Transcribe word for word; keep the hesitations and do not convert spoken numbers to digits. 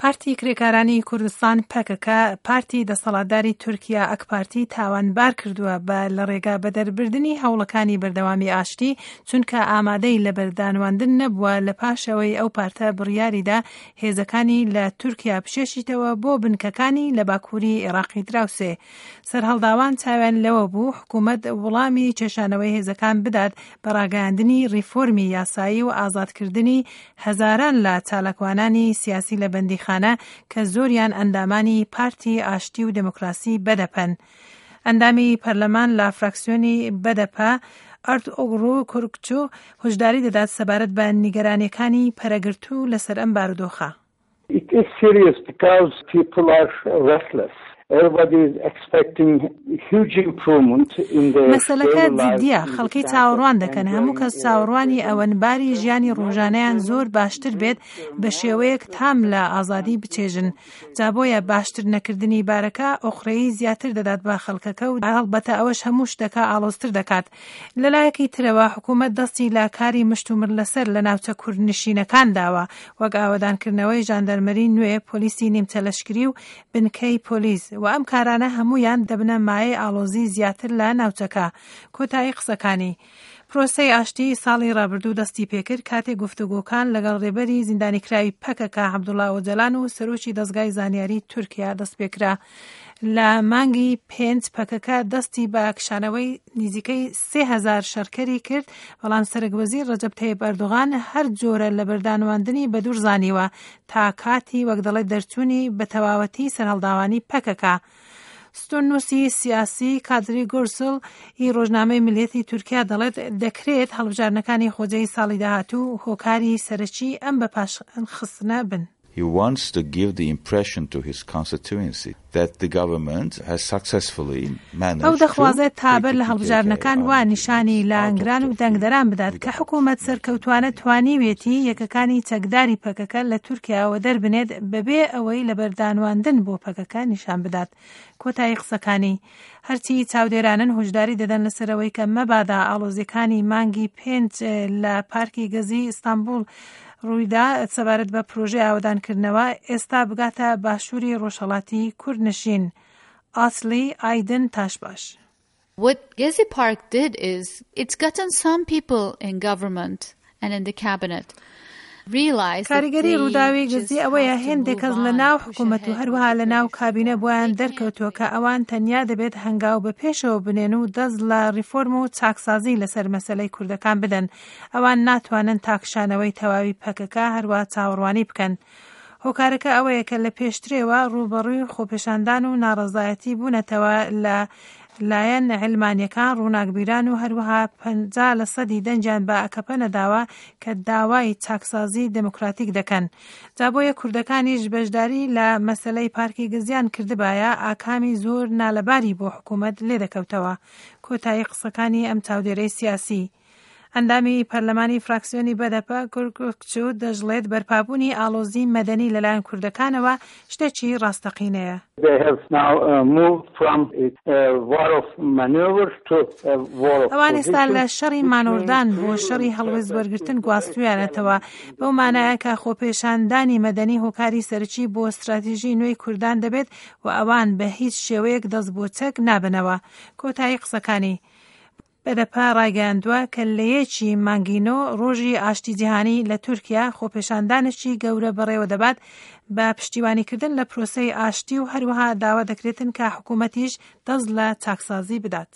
پارتی کرێکارانی کوردستان پەکەکە پارتی دەسەڵاتداری تورکیا ئەکپارتی تاوانبار کردووە بە لە ڕێگا بەدەربردنی هەوڵەکانی بەردەوامی ئاشتی، چونکە ئامادەی لەبەردانواندن نەبووە لە پاشەوەی ئەو پارتە بڕیاریدا هێزەکانی لە تورکیا بشێشیتەوە بۆ بنکەکانی لە باکووری عێراقی دراوسێ. سەرهەڵداوان چاویان لەوە بوو حکوومەت وڵامی کێشانەوەی هێزەکان بدات بە ڕاگەیاندنی ڕیفۆرمی یاسایی و ئازادکردنی هەزاران لە چالاکوانانی سیاسی لە بەندیخانە کە زۆریان ئەندامانی پارتی ئاشتی و دێموکراسی بەدەپەن. ئەندامی پەرلەمان لە فراکسیۆنی بەدەپە ئەرتوغرول کورکچو هۆشداری دەدات سەبارەت بە نیگەرانیەکانی پەرەگرتوو لەسەر ئەم بارودۆخە. It is serious because people are restless. Everybody is expecting huge improvement in their مەسەلەکە جدیە، خەڵکی چاوەڕوان دەکەن، هەموو کەس چاوەڕوانی ئەوەن باری ژیانی ڕۆژانەیان زۆر باشتر بێت بە شێوەیەک تام لە ئازادی بچێژن. جا بۆیە باشتر نەکردنی بارەکە ئۆقرەیی زیاتر دەدات بە خەڵکەکە و هەڵبەتە ئەوەش هەموو شتەکە ئاڵۆزتر دەکات. لەلایەکی ترەوە حکوومەت دەستی لە کاری مشتومڕ لەسەر لە ناوچە کوردنشینەکان داوە، وەک ئاوەدانکردنەوەی ژاندەرمەری نوێ، پۆلیسی نیمچە لەشکری و بنکەی پۆلیس و ئەم کارانە هەمویان دەبنە مایەی ئاڵۆزی زیاتر لە ناوچەکە. کۆتایی قسەکانی. پرۆسەی ئاشتی ساڵی ڕابردوو دەستی پێکرد کاتێک گفتوگۆکان لەگەڵ ڕێبەری زیندانیکراوی پەکەکە عەبدوڵا ئۆجالان و سەرۆکی دەزگای زانیاری تورکیا دەست پێکرا. لە مانگی پێنج پەکەکە دەستی بە کشانەوەی نزیکەی سێ هەزار شەڕکەری کرد، بەڵام سەرۆک وەزیر ڕەجەب تەیب ئەردۆغان هەر جۆرە لە بەردانواندنی بەدوور زانیوە تا کاتی وەک دەڵێت دەرچوونی بە تەواوەتی سەرهەڵداوانی پەکەکە. ستوننووسی سیاسی کادری گورسل ی ڕۆژنامەی ملیەتی تورکیا دەڵێت دەکرێت هەڵبژاردنەکانی خۆجێی ساڵی داهاتوو هۆکاری سەرەکی ئەم بەپاشخستنە بن. He wants to give the impression to his constituency that the government has successfully managed ئەو دەخوازێت تا بەر لە هەڵبژاردنەکان وا نیشانی لایەنگران و دەنگدەران بدات کە حکوومەت سەرکەوتوانە توانیوێتی یەکەکانی چەکداری پەکەکە لە تورکیاوە دەربنێت بەبێ ئەوەی لەبەردانواندن بۆ پەکەکە نیشان بدات. کۆتایی قسەکانی. هەرچی چاودێرانن هۆشداری دەدەن لەسەرەوەی کە مەبادا ئاڵۆزیەکانی مانگی پێنج لە پارکی گەزی ئیستانبوڵ ڕوویدا سەبارەت بە پرۆژەی ئاوەدانکردنەوە ئێستا بگاتە باشووری ڕۆژهەڵاتی کوردنشین. ئاسلی ئایدن تاشباش. What Gezi Park did is it's gotten some people in government and in the cabinet کاریگەری ڕووداوی گزی ئەوەیە هێندێک کەس لە ناو حکوومەت و هەروەها لە ناو کابینە بۆیان دەرکەوتووە کە ئەوان تەنیا دەبێت هەنگاو بە پێشەوە بنێن و دەست لە ڕیفۆرم و چاکسازی لەسەر مەسەلەی کوردەکان بدەن. ئەوان ناتوانن تاکشانەوەی تەواوی پەکەکە هەروە چاوەڕوانی بکەن. هۆکارەکە ئەوەیە کە لە پێشترێوە ڕووبەڕووی خۆپێشاندان و ناڕەزایەتی بوونەتەوە لە لایەن علمانیەکان، ڕووناکبیران و هەروەها پەنجا لە سەدی دەنگیان بە ئەکەپە نەداوە کە داوای چاکسازی دێموکراتیک دەکەن. جا بۆیە کوردەکانیش بەشداری لە مەسەلەی پارکی گزیان کردبایە ئاکامی زۆر نالەباری بۆ حکوومەت لێدەکەوتەوە. کۆتایی قسەکانی ئەم چاودێرەی سیاسی. ئەندامی پەرلەمانی فراکسیۆنی بەدەپە کورکچو دەشڵێت بەرپابوونی ئاڵۆزی مەدەنی لەلایەن کوردەکانەوە شتێکی ڕاستەقینەیە. They have now uh, moved from a war of maneuver to a war of ئەوان ئێستا لە position, شەڕی which مانۆردان means بۆ شەڕی هەڵوێست وەرگرتن گواستویانەتەوە، بەو مانایە کە خۆپێشاندانی مەدەنی هۆکاری سەرەکی بۆ استراتیژی نوێی کوردان دەبێت و ئەوان بە هیچ شێوەیەک دەست بۆ چەک نابنەوە. کۆتایی قسەکانی. بەدەپە ڕایگەیاندووە کە لە یەکی مانگی نۆ ڕۆژی ئاشتی جیهانی لە تورکیا خۆپێشاندانێکی گەورە بەڕێوە دەبات بە پشتیوانیکردن لە پرۆسەی ئاشتی و هەروەها داوا دەکرێتن کە حکوومەتیش دەست لە چاکسازی بدات.